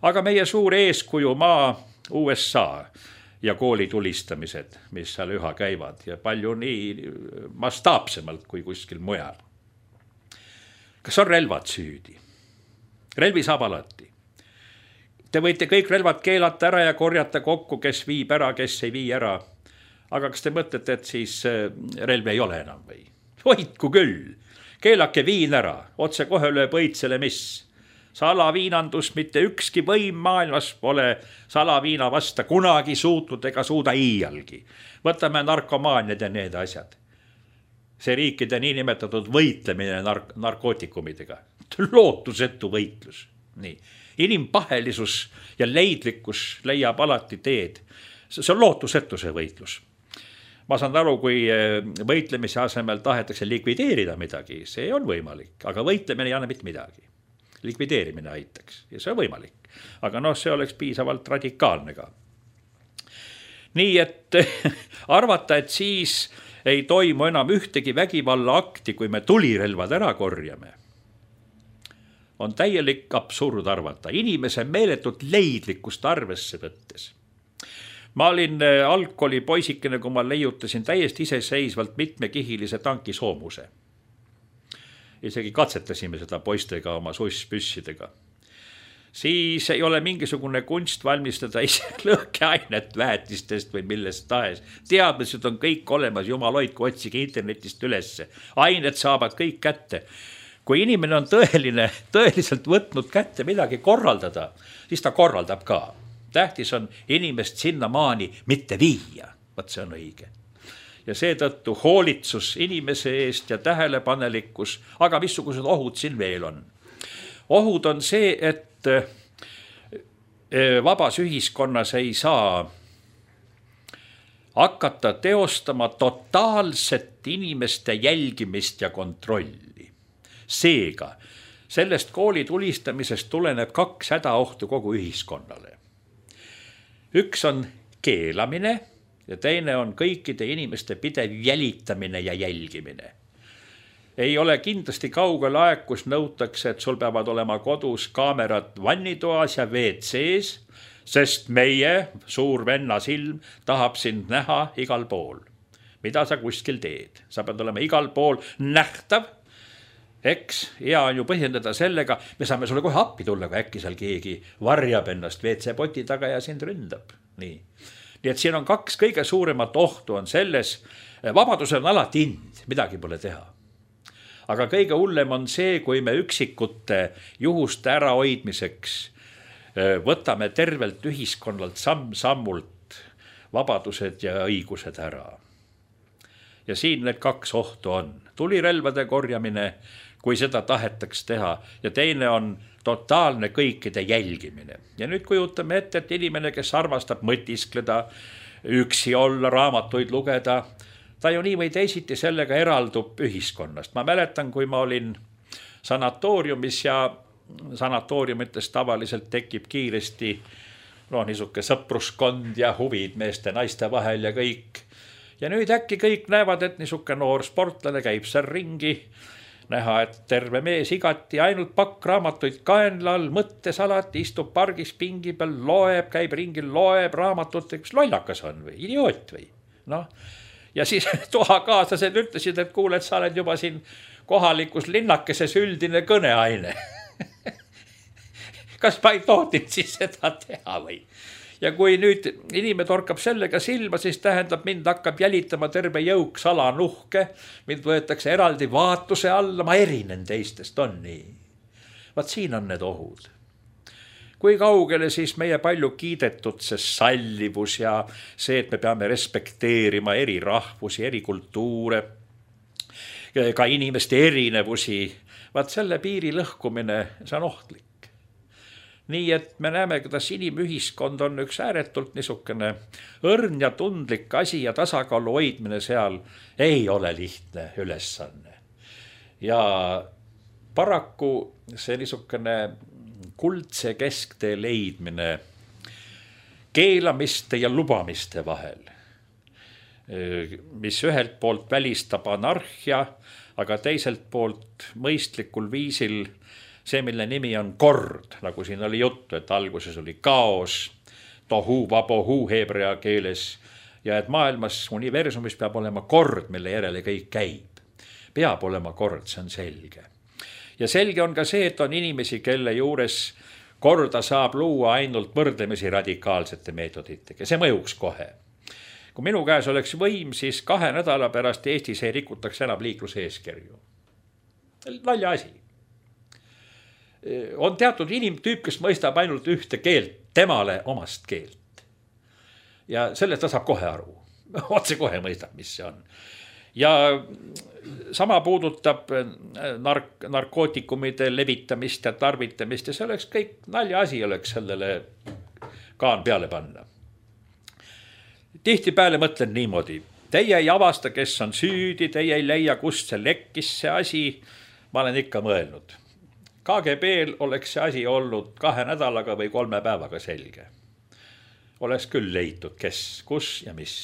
Aga meie suur eeskuju maa USA ja koolitulistamised, mis seal üha käivad ja palju nii mastaapsemalt kui kuskil mujal. Kas on relvad süüdi? Relvi saab alati. Te võite kõik relvad keelata ära ja korjata kokku, kes viib ära, kes ei vii ära. Aga kas te mõtlete, et siis relvi ei ole enam või? Hoidku küll. Keelake viin ära. Otse kohe lööb õitsele mis. Salaviinandus mitte ükski võim maailmas pole salaviina vasta kunagi suutnud ega suuda iialgi. Võtame narkomaaniad ja need asjad. See riikide niinimetatud võitlemine narkootikumidega. Lootusetu võitlus. Nii. Inimpahelisus ja leidlikkus leiab alati teed. See on lootusetu see võitlus. Ma saan aru, kui võitlemise asemel tahetakse likvideerida midagi, see on võimalik, aga võitlemine ei anna mitte midagi. Likvideerimine aitaks ja see on võimalik, aga see oleks piisavalt radikaalne ka. Nii et arvata, et siis ei toimu enam ühtegi vägivalla akti, kui me tulirelvad ära korjame. on täielik absurd arvata, inimese meeletut leidlikkust arvesse võttes. Ma olin algkooli poisikene, kui ma leiutasin täiesti iseseisvalt mitmekihilise tankisoomuse. Isegi katsetasime seda poistega oma susspüssidega. Siis ei ole mingisugune kunst valmistada ise lõhkeainet väetistest või millest tahes. Teadmised on kõik olemas, jumal hoidku, otsige internetist ülesse. Ained saavad kõik kätte. Kui inimene on tõeliselt võtnud kätte midagi korraldada, siis ta korraldab ka. Tähtis on inimest sinnamaani mitte viia. Vaat see on õige. Ja seetõttu hoolitsus inimese eest ja tähelepanelikkus, aga missugused ohud siin veel on? Ohud on see, et vabas ühiskonnas ei saa hakata teostama totaalset inimeste jälgimist ja kontrolli. Seega, sellest kooli tulistamisest tuleneb 2 hädaohtu kogu ühiskonnale. Üks on keelamine ja teine on kõikide inimeste pidev jälitamine ja jälgimine. Ei ole kindlasti kaugel aeg, kus nõutakse, et sul peavad olema kodus kaamerad vannitoas ja WC-s, sest meie suur venna silm tahab sind näha igal pool. Mida sa kuskil teed? Sa pead olema igal pool nähtav. Eks, hea on ju põhjendada sellega, me saame sulle kohe appi tulla, kui äkki seal keegi varjab ennast WC-poti taga ja sind ründab. Nii et siin on 2 kõige suuremat ohtu on selles, vabadusel on alati hind, midagi pole teha. Aga kõige hullem on see, kui me üksikute juhuste ärahoidmiseks võtame tervelt ühiskonnalt samm-sammult vabadused ja õigused ära. Ja siin need 2 ohtu on. Tulirelvade korjamine, kui seda tahetaks teha, ja teine on totaalne kõikide jälgimine. Ja nüüd kujutame ette, et inimene, kes armastab mõtiskleda, üksi olla, raamatuid lugeda, ta ju nii või teisiti sellega eraldub ühiskonnast. Ma mäletan, kui ma olin sanatooriumis ja sanatooriumites tavaliselt tekib kiiresti niisuke sõpruskond ja huvid meeste naiste vahel ja kõik. Ja nüüd äkki kõik näevad, et niisuke noor sportlane käib seal ringi, näha, et terve mees igati ainult pakk raamatuid kaenlal, mõttes alati, istub pargis pingi peal, loeb, käib ringil, loeb raamatut, kas lollakas on või idioot või? Ja siis toakaaslased ütlesid, et kuule, et sa oled juba siin kohalikus linnakeses üldine kõneaine. Kas ma ei tohtinud siis seda teha või? Ja kui nüüd inimene torkab sellega silma, siis tähendab, mind hakkab jälitama terve jõuk salanuhke, mind võetakse eraldi vaatuse alla, ma erinen teistest, on nii. Vaat siin on need ohud. Kui kaugele siis meie palju kiidetud see sallivus ja see, et me peame respekteerima eri rahvusi, eri kultuure, ka inimeste erinevusi, vaat selle piiri lõhkumine, see on ohtlik. Nii et me näeme, kuidas inimühiskond on üks ääretult niisugune õrn ja tundlik asi ja tasakaalu hoidmine seal ei ole lihtne ülesanne. Ja paraku see niisugune kuldse kesktee leidmine keelamiste ja lubamiste vahel, mis ühelt poolt välistab anarhia, aga teiselt poolt mõistlikul viisil see, mille nimi on kord, nagu siin oli juttu, et alguses oli kaos, tohu, vabohu heebrea keeles, ja et maailmas, universumis peab olema kord, mille järele kõik käib. Peab olema kord, see on selge. Ja selge on ka see, et on inimesi, kelle juures korda saab luua ainult võrdlemisi radikaalsete meetoditega. See mõjuks kohe. Kui minu käes oleks võim, siis 2 nädala pärast Eestis ei rikutaks enam liikluseeskirju. Nalja asi. On teatud inimtüüp, kes mõistab ainult ühte keelt, temale omast keelt. Ja sellest ta saab kohe aru. Otse kohe mõistab, mis see on. Ja sama puudutab narkootikumide levitamist ja tarvitamist ja see oleks kõik nalja asi oleks sellele kaan peale panna. Tihtipeale mõtlen niimoodi. Teie ei avasta, kes on süüdi, teie ei leia, kust see lekkis see asi. Ma olen ikka mõelnud. KGB-l oleks see asi olnud 2 nädalaga või 3 päevaga selge. Oleks küll leitud, kes, kus ja mis.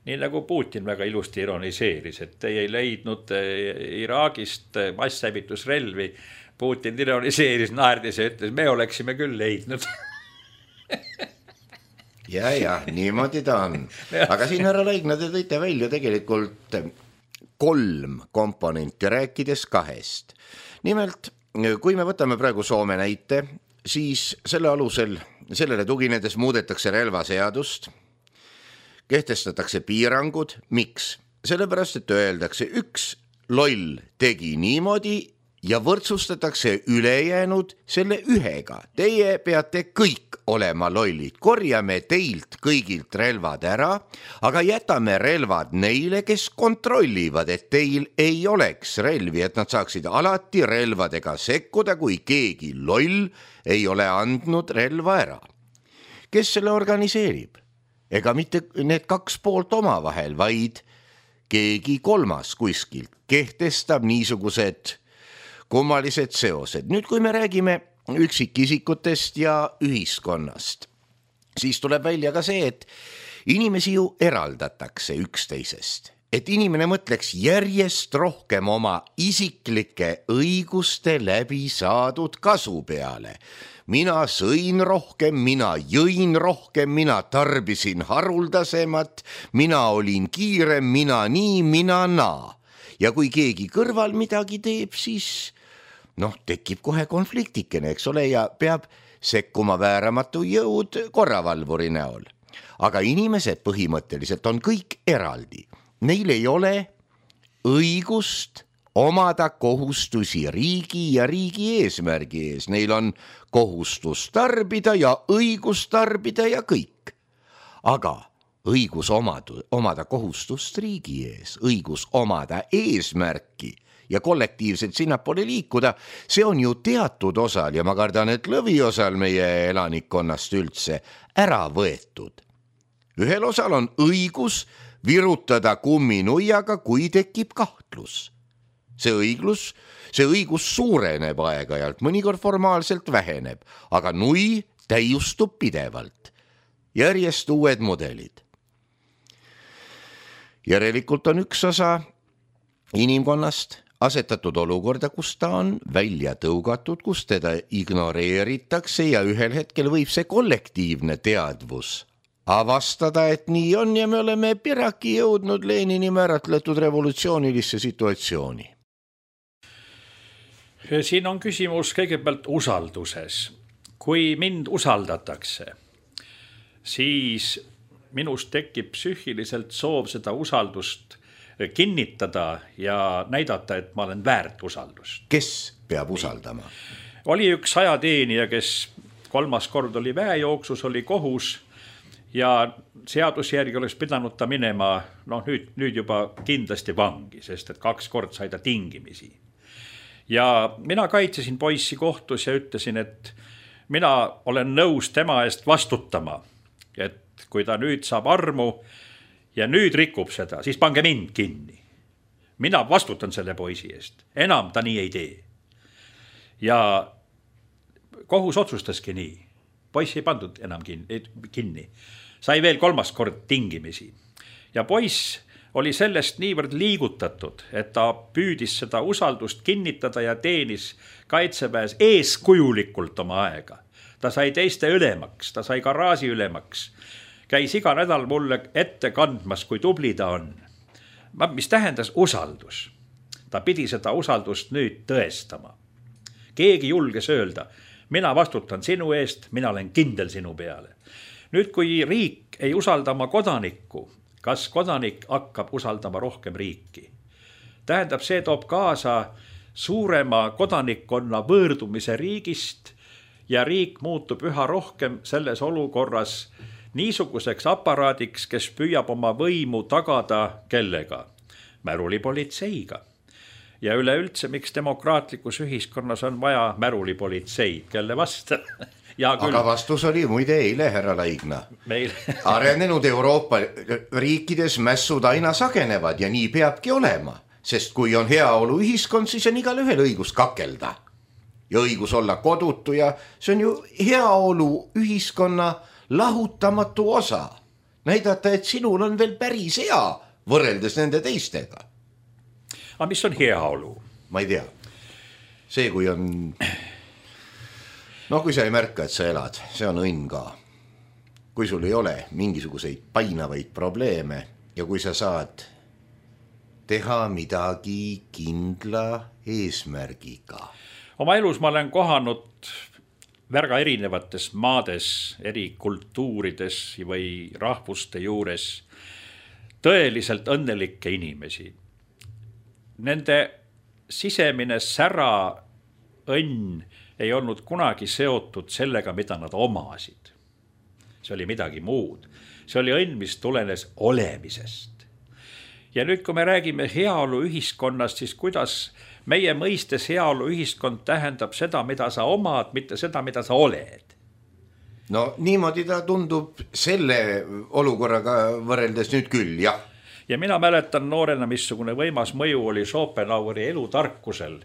Nii nagu Putin väga ilusti ironiseeris, et teie ei leidnud Iraagist masshävitusrelvi, Putin ironiseeris, naerdis ja ütles, me oleksime küll leidnud. ja, niimoodi ta on. Aga siin härra Laigna, te tõite välja tegelikult 3 komponenti, rääkides 2. Nimelt, kui me võtame praegu Soome näite, siis selle alusel, sellele tuginedes muudetakse relvaseadust, kehtestatakse piirangud. Miks? Sellepärast, et öeldakse, üks loll tegi niimoodi ja võrdsustatakse ülejäänud selle ühega. Teie peate kõik olema lollid. Korjame teilt kõigilt relvad ära, aga jätame relvad neile, kes kontrollivad, et teil ei oleks relvi, et nad saaksid alati relvadega sekkuda, kui keegi loll ei ole andnud relva ära. Kes selle organiseerib? Ega mitte need 2 poolt omavahel, vaid keegi 3 kuskilt kehtestab niisugused kummalised seosed. Nüüd, kui me räägime üksikisikutest ja ühiskonnast, siis tuleb välja ka see, et inimesi ju eraldatakse üksteisest. Et inimene mõtleks järjest rohkem oma isiklike õiguste läbi saadud kasu peale. Mina sõin rohkem, mina jõin rohkem, mina tarbisin haruldasemat, mina olin kiirem, mina nii, mina naa. Ja kui keegi kõrval midagi teeb, siis tekib kohe konfliktikene, eks ole, ja peab sekkuma vääramatu jõud korravalvuri näol. Aga inimesed põhimõtteliselt on kõik eraldi. Neil ei ole õigust omada kohustusi riigi ja riigi eesmärgi ees. Neil on kohustus tarbida ja õigus tarbida ja kõik. Aga õigus omada kohustust riigi ees, õigus omada eesmärki ja kollektiivselt sinnapoole liikuda, see on ju teatud osal ja ma kardan, et lõviosal meie elanikkonnast üldse ära võetud. Ühel osal on õigus virutada kumminuiaga, kui tekib kahtlus. See õigus suureneb aeg-ajalt, mõnikord formaalselt väheneb, aga nui täiustub pidevalt. Järjest uued mudelid. Järelikult on üks osa inimkonnast asetatud olukorda, kus ta on välja tõugatud, kus teda ignoreeritakse ja ühel hetkel võib see kollektiivne teadvus avastada, et nii on ja me oleme piraki jõudnud Lenini määratletud revolutsioonilisse situatsiooni. Siin on küsimus kõigepealt usalduses. Kui mind usaldatakse, siis minust tekib psüühiliselt soov seda usaldust kinnitada ja näidata, et ma olen väärt usaldust. Kes peab usaldama? Oli üks ajateenija, kes 3. kord oli väejooksus, oli kohus ja seaduse järgi oleks pidanud ta minema nüüd juba kindlasti vangi, sest et 2 kord sai ta tingimisi. Ja mina kaitsesin poissi kohtus ja ütlesin, et mina olen nõus tema eest vastutama, et kui ta nüüd saab armu ja nüüd rikub seda, siis pange mind kinni. Mina vastutan selle poisi eest. Enam ta nii ei tee. Ja kohus otsustaski nii. Poiss ei pandud enam kinni. Sai veel 3. kord tingimisi. Ja poiss oli sellest niivõrd liigutatud, et ta püüdis seda usaldust kinnitada ja teenis kaitseväes eeskujulikult oma aega. Ta sai teiste ülemaks, ta sai garaaži ülemaks. Käis iga nädal mulle ette kandmas, kui tubli ta on. Mis tähendas usaldus? Ta pidi seda usaldust nüüd tõestama. Keegi julges öelda, mina vastutan sinu eest, mina olen kindel sinu peale. Nüüd, kui riik ei usalda oma kodanikku, kas kodanik hakkab usaldama rohkem riiki? Tähendab, see toob kaasa suurema kodanikkonna võõrdumise riigist ja riik muutub üha rohkem selles olukorras niisuguseks aparaadiks, kes püüab oma võimu tagada kellega? Märulipolitseiga. Ja üleüldse, miks demokraatlikus ühiskonnas on vaja märulipolitseid, kelle vastu? Aga vastus oli muide eile, härra Laigna. Arenenud Euroopa riikides mässud aina sagenevad ja nii peabki olema, sest kui on heaolu ühiskond, siis on igal ühel õigus kakelda ja õigus olla kodutu ja see on ju heaolu ühiskonna lahutamatu osa. Näidata, et sinul on veel päris hea võrreldes nende teistega. Aga mis on heaolu? Ma ei tea. see, kui on, kui sa ei märka, et sa elad, see on õnn ka. Kui sul ei ole mingisuguseid painavaid probleeme ja kui sa saad teha midagi kindla eesmärgiga. Oma elus ma olen kohanud väga erinevates maades, eri kultuurides või rahvuste juures tõeliselt õnnelikke inimesi. Nende sisemine sära õnn ei olnud kunagi seotud sellega, mida nad omasid. See oli midagi muud. See oli õnn, mis tulenes olemisest. Ja nüüd, kui me räägime heaolu ühiskonnast, siis kuidas meie mõistes heaolu ühiskond tähendab seda, mida sa omad, mitte seda, mida sa oled. No niimoodi ta tundub selle olukorraga võrreldes nüüd küll, jah. Ja mina mäletan noorena, missugune võimas mõju oli Schopenhaueri elutarkusel,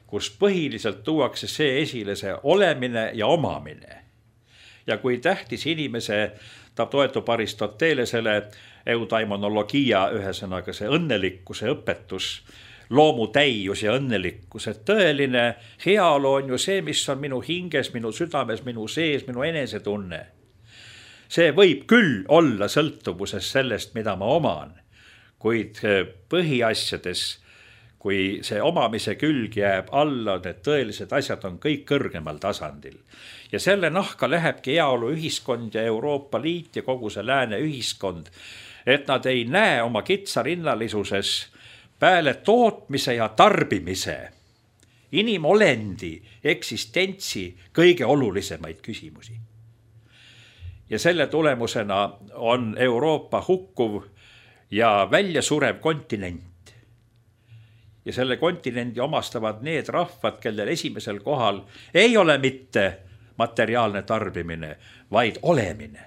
kus põhiliselt tuuakse see esile, see olemine ja omamine. Ja kui tähtis inimese, ta toetub Aristotelesele eudaimonologia, ühesõnaga see õnnelikkuse õpetus, loomutäius ja õnnelikkus, et tõeline heaolu on ju see, mis on minu hinges, minu südames, minu sees, minu enesetunne. See võib küll olla sõltuvuses sellest, mida ma oman, kuid põhiasjades, kui see omamise külg jääb alla, need tõelised asjad on kõik kõrgemal tasandil. Ja selle nahka lähebki heaolu ühiskond ja Euroopa Liit ja kogu see lääne ühiskond, et nad ei näe oma kitsarinnalissuses peale tootmise ja tarbimise inimolendi eksistentsi kõige olulisemaid küsimusi. Ja selle tulemusena on Euroopa hukkuv ja välja surev kontinent. Ja selle kontinendi omastavad need rahvad, kellel esimesel kohal ei ole mitte materiaalne tarbimine, vaid olemine.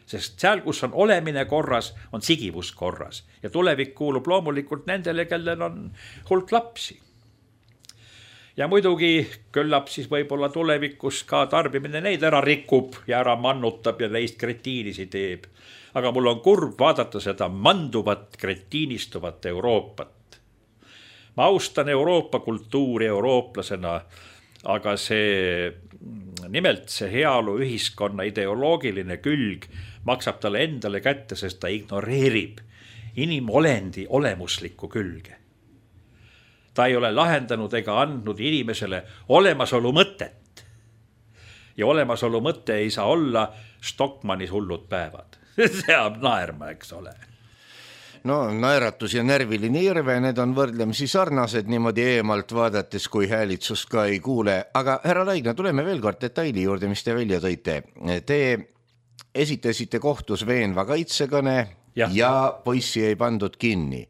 Sest seal, kus on olemine korras, on sigivus korras. Ja tulevik kuulub loomulikult nendele, kellel on hulk lapsi. Ja muidugi küllap siis võib-olla tulevikus ka tarbimine neid ära rikub ja ära mannutab ja neist kretiinisi teeb. Aga mul on kurb vaadata seda manduvat, kretiinistuvat Euroopat. Ma austan Euroopa kultuuri eurooplasena, aga nimelt see heaolu ühiskonna ideoloogiline külg maksab talle endale kätte, sest ta ignoreerib inimolendi olemuslikku külge. Ta ei ole lahendanud ega andnud inimesele olemasolu mõtet. Ja olemasolu mõte ei saa olla Stockmannis hullud päevad. Seab naerma, eks ole. No naeratus ja närviline irve, need on võrdlemisi sarnased niimoodi eemalt vaadates, kui häälitsust ka ei kuule. Aga härra Laigna, tuleme veel kord detaili juurde, mis te välja tõite. Te esitasite kohtus veenva kaitsekõne ja poissi ei pandud kinni.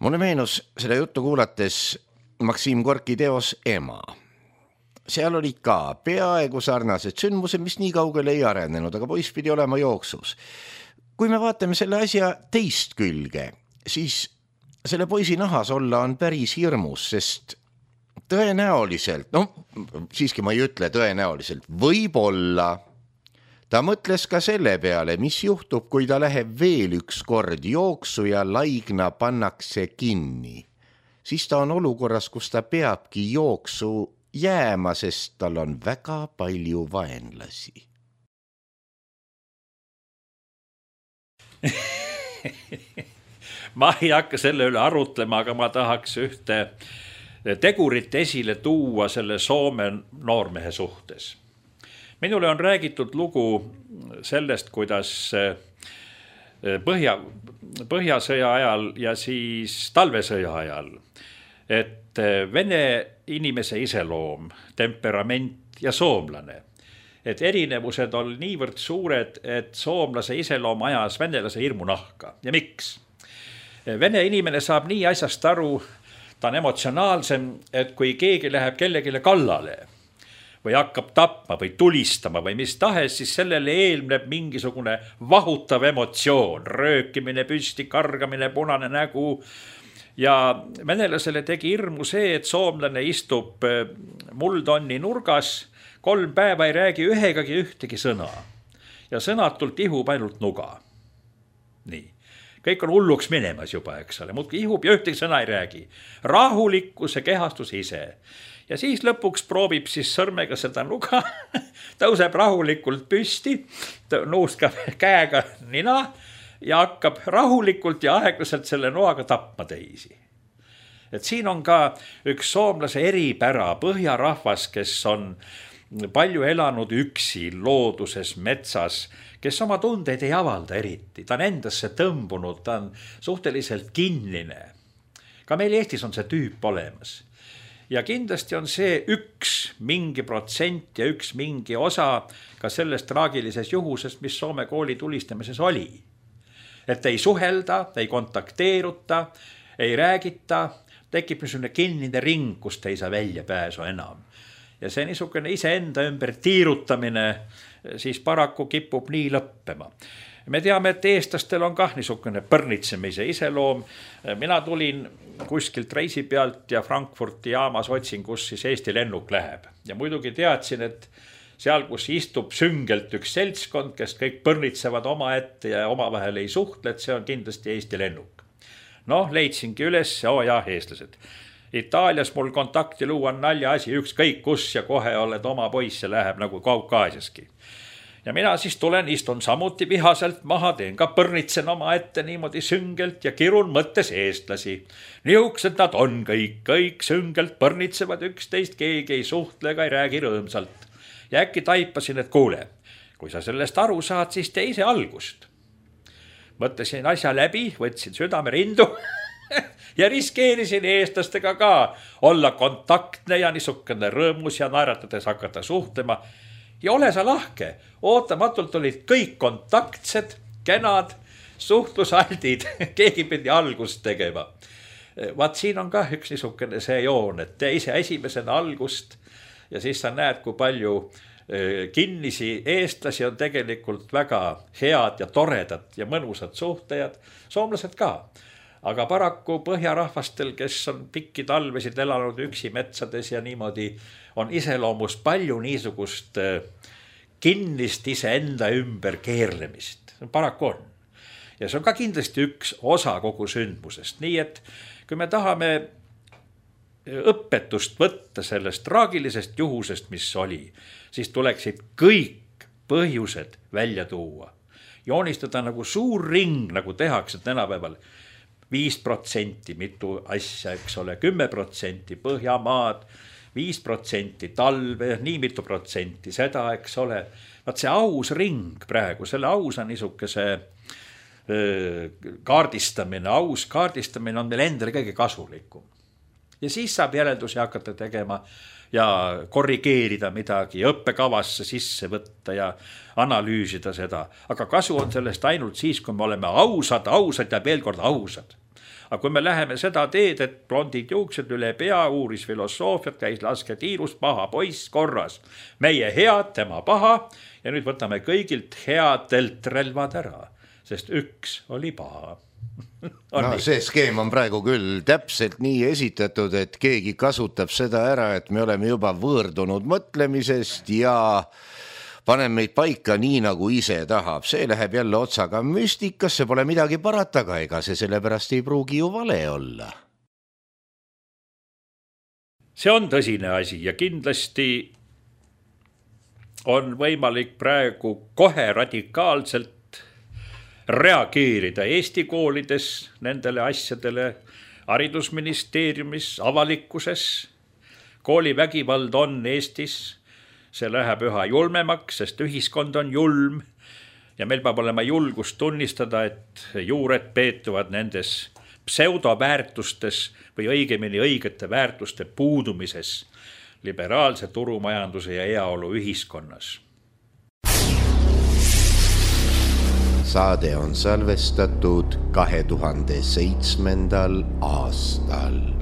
Mulle meenus seda juttu kuulates Maksim Gorki teos Ema. Seal olid ka peaaegu sarnased sündmused, mis nii kaugele ei arenenud, aga poiss pidi olema jooksus. Kui me vaatame selle asja teist külge, siis selle poisi nahas olla on päris hirmus, sest tõenäoliselt, siiski ma ei ütle tõenäoliselt, võib-olla ta mõtles ka selle peale, mis juhtub, kui ta läheb veel üks kord jooksu ja Laigna pannakse kinni. Siis ta on olukorras, kus ta peabki jooksu jääma, sest tal on väga palju vaenlasi. Ma ei hakka selle üle arutlema, aga ma tahaks ühte tegurit esile tuua selle Soome noormehe suhtes. Minule on räägitud lugu sellest, kuidas põhjasõja ajal ja siis talvesõja ajal, et vene inimese iseloom, temperament ja soomlane, et erinevused on niivõrd suured, et soomlase iseloom ajas venelase hirmunahka. Ja miks? Vene inimene saab nii asjast aru, ta on emotsionaalsem, et kui keegi läheb kellegile kallale või hakkab tapma või tulistama või mis tahes, siis sellele eelneb mingisugune vahutav emotsioon, röökimine, püsti, kargamine, punane nägu. Ja venelasele tegi hirmu see, et soomlane istub muldonni nurgas, 3 päeva ei räägi ühegagi ühtegi sõna ja sõnatult ihub ainult nuga. Nii. kõik on hulluks minemas juba, eks ole, muudki ihub ja ühtegi sõna ei räägi. Rahulikkuse kehastus ise. Ja siis lõpuks proovib siis sõrmega seda nuga, tõuseb rahulikult püsti, nuuskab käega nina ja hakkab rahulikult ja aeglaselt selle noaga tapma teisi. Et siin on ka üks soomlase eripära, põhjarahvas, kes on palju elanud üksi looduses, metsas, kes oma tundeid ei avalda eriti. Ta on endasse tõmbunud, ta on suhteliselt kinnine. Ka meil Eestis on see tüüp olemas. Ja kindlasti on see üks mingi protsent ja üks mingi osa ka sellest traagilises juhusest, mis Soome kooli tulistamises oli. Et ei suhelda, ei kontakteeruta, ei räägita, tekib niisugune kinnine ring, kust ei saa välja pääsu enam. Ja see niisugune iseenda ümber tiirutamine siis paraku kipub nii lõppema. Me teame, et eestlastel on kah niisugune põrnitsemise iseloom. Mina tulin kuskilt reisi pealt ja Frankfurti jaamas otsin, kus siis Eesti lennuk läheb. Ja muidugi teadsin, et seal, kus istub süngelt üks seltskond, kes kõik põrnitsevad oma ette ja omavahel ei suhtle, et see on kindlasti Eesti lennuk. Noh, leidsingi üles, eestlased. Itaalias mul kontakti luua on nalja asi, ükskõik kus ja kohe oled oma poiss ja läheb nagu Kaukaasiaski. Ja mina siis tulen, istun samuti vihaselt maha, teen ka põrnitsen oma ette niimoodi süngelt ja kirun mõttes eestlasi. Niuksed nad on kõik süngelt põrnitsevad üksteist, keegi ei suhtle ega ei räägi rõõmsalt. Ja äkki taipasin, et kuule, kui sa sellest aru saad, siis tee ise algust. Mõtlesin asja läbi, võtsin südame rindu ja riskeerisin eestlastega ka olla kontaktne ja niisugune rõõmus ja naeratades hakata suhtlema. Ja ole sa lahke, ootamatult olid kõik kontaktsed, kenad, suhtlusaldid, keegi pidi algust tegema. Vaat siin on ka üks niisugune see joon, et tee ise esimesena algust ja siis sa näed, kui palju kinnisi eestlasi on tegelikult väga head ja toredad ja mõnusad suhtajad, soomlased ka. Aga paraku põhjarahvastel, kes on pikki talvesid elanud üksi metsades ja niimoodi, on iseloomus palju niisugust kinnist iseenda ümber keerlemist. Paraku on. Ja see on ka kindlasti üks osa kogu sündmusest. Nii et kui me tahame õpetust võtta sellest traagilisest juhusest, mis oli, siis tuleksid kõik põhjused välja tuua. Joonistada nagu suur ring, nagu tehakse tänapäeval. 5% mitu asja, eks ole, 10% Põhjamaad, 5% talve, nii mitu protsenti seda, eks ole. Vaat see aus ring praegu, selle ausa niisuguse kaardistamine, aus kaardistamine on meil endale kõige kasulikum. Ja siis saab järeldusi hakata tegema ja korrigeerida midagi, õppekavasse sisse võtta ja analüüsida seda. Aga kasu on sellest ainult siis, kui me oleme ausad ja veel kord ausad. Aga kui me läheme seda teed, et blondid juuksed üle pea, uuris filosoofiat, käis laske tiirus, paha poiss korras. Meie head, tema paha ja nüüd võtame kõigilt headelt relvad ära, sest üks oli paha. No, see skeem on praegu küll täpselt nii esitatud, et keegi kasutab seda ära, et me oleme juba võõrdunud mõtlemisest ja panen meid paika nii, nagu ise tahab. See läheb jälle otsaga müstikasse, pole midagi parataga, ega see sellepärast ei pruugi ju vale olla. See on tõsine asi ja kindlasti on võimalik praegu kohe radikaalselt reageerida Eesti koolides nendele asjadele, haridusministeeriumis, avalikkuses. Koolivägivald on Eestis, see läheb üha julmemaks, sest ühiskond on julm ja meil peab olema julgust tunnistada, et juured peetuvad nendes pseudoväärtustes või õigemini õigete väärtuste puudumises liberaalse turumajanduse ja heaolu ühiskonnas. Saade on salvestatud 2007. aastal.